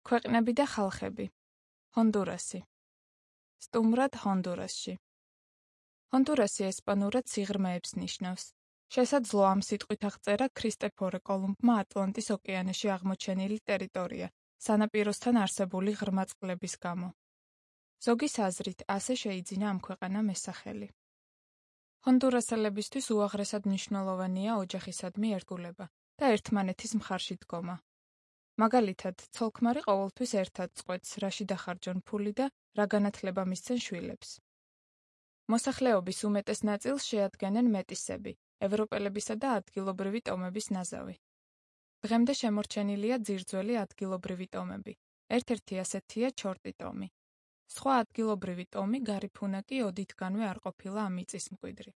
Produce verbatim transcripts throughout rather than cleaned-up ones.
ქვეყნები და ხალხები. ჰონდურასი. სტუმრად ჰონდურასში. ჰონდურასი ესპანურად სიღრმეებს ნიშნავს. შესაძლოა ამ სიტყვით აღწერა ქრისტეფორე კოლუმბმა ატლანტის ოკეანეში აღმოჩენილი ტერიტორია, სანაპიროსთან არსებული ღრმა წყლების გამო. ზოგის აზრით, ასე შეიძინა ამ ქვეყანამ ეს სახელი. ჰონდურასელებისთვის უაღრესად მნიშვნელოვანია ოჯახისადმი ერთგულება და ერთმანეთის მხარში დგომა. მაგალითად, ცოლ-ქმარი ყოველთვის ერთად წყვეტს, რაში დახარჯონ ფული და რა განათლება მისცენ შვილებს. მოსახლეობის უმეტეს ნაწილს შეადგენენ მეტისები, ევროპელებისა და ადგილობრივი ტომების ნაზავი. დღემდე შემორჩენილია ძირძველი ადგილობრივი ტომები. ერთ-ერთი ასეთია ჩორტი ტომი. სხვა ადგილობრივი ტომი გარიფუნა კი ოდითგანვე არ ყოფილა ამ მიწის მკვიდრი.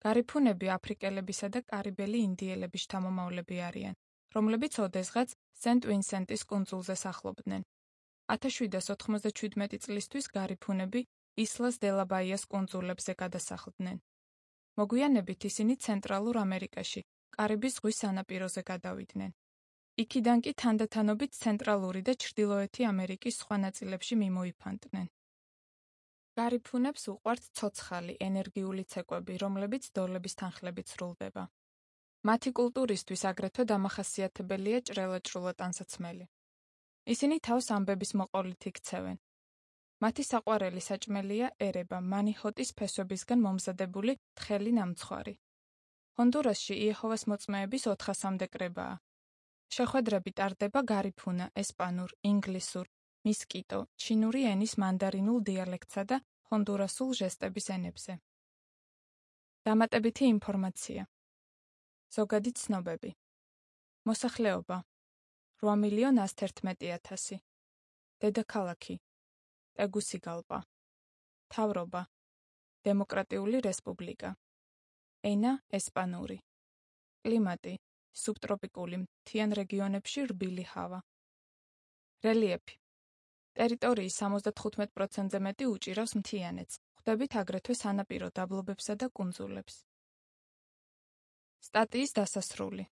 გარიფუნები აფრიკელებისა და კარიბელი ინდიელების შთამომავლები არიან, რომლებიც ოდესღაც სენტ-ვინსენტის კუნძულზე სახლობდნენ. ათას შვიდას ოთხმოცდაშვიდმეტი წლისთვის გარიფუნები ისლას დე ლა ბაიას კუნძულებზე გადასახლდნენ. მოგვიანებით ისინი ცენტრალურ ამერიკაში, კარიბის ზღვის სანაპიროზე გადავიდნენ. იქიდან კი თანდათანობით ცენტრალური და ჩრდილოეთი ამერიკის სხვა ნაწილებში მიმოიფანტნენ. გარიფუნებს უყვართ ცოცხალი, ენერგიული ცეკვები, რომლებიც დოლების თანხლებით სრულდება. მათი კულტურისთვის აგრეთვე დამახასიათებელია ჭრელაჭრულა ტანსაცმელი. ისინი თავს ამბების მოყოლით იქცევენ. მათი საყვარელი საჭმელია ერება, მანიჰოტის ფესვებისგან მომზადებული თხელი ნამცხვარი. ჰონდურასში იეჰოვას მოწმეების ოთხასამდე კრებაა. შეხვედრები ტარდება გარიფუნა, ესპანურ, ინგლისურ, მისკიტო, ჩინური ენის მანდარინულ დიალექტსა და ჰონდურასულ ჟესტების ენებზე. დამატებითი ინფორმაცია. ზოგადი ცნობები. მოსახლეობა რვა მილიონ ასი ერთმეტი ათასი. დედაქალაქი ტეგუსიგალპა. მთავრობა დემოკრატიული რესპუბლიკა. ენა ესპანური. კლიმატი სუბტროპიკული, მთიან რეგიონებში რბილი ჰავა. რელიეფი. ტერიტორიის სამოცდათხუთმეტ პროცენტზე მეტი უჭირავს მთიანეთს, ხვდებით აგრეთვე სანაპირო დაბლობებსა და კუნძულებს. სტატიის დასასრული.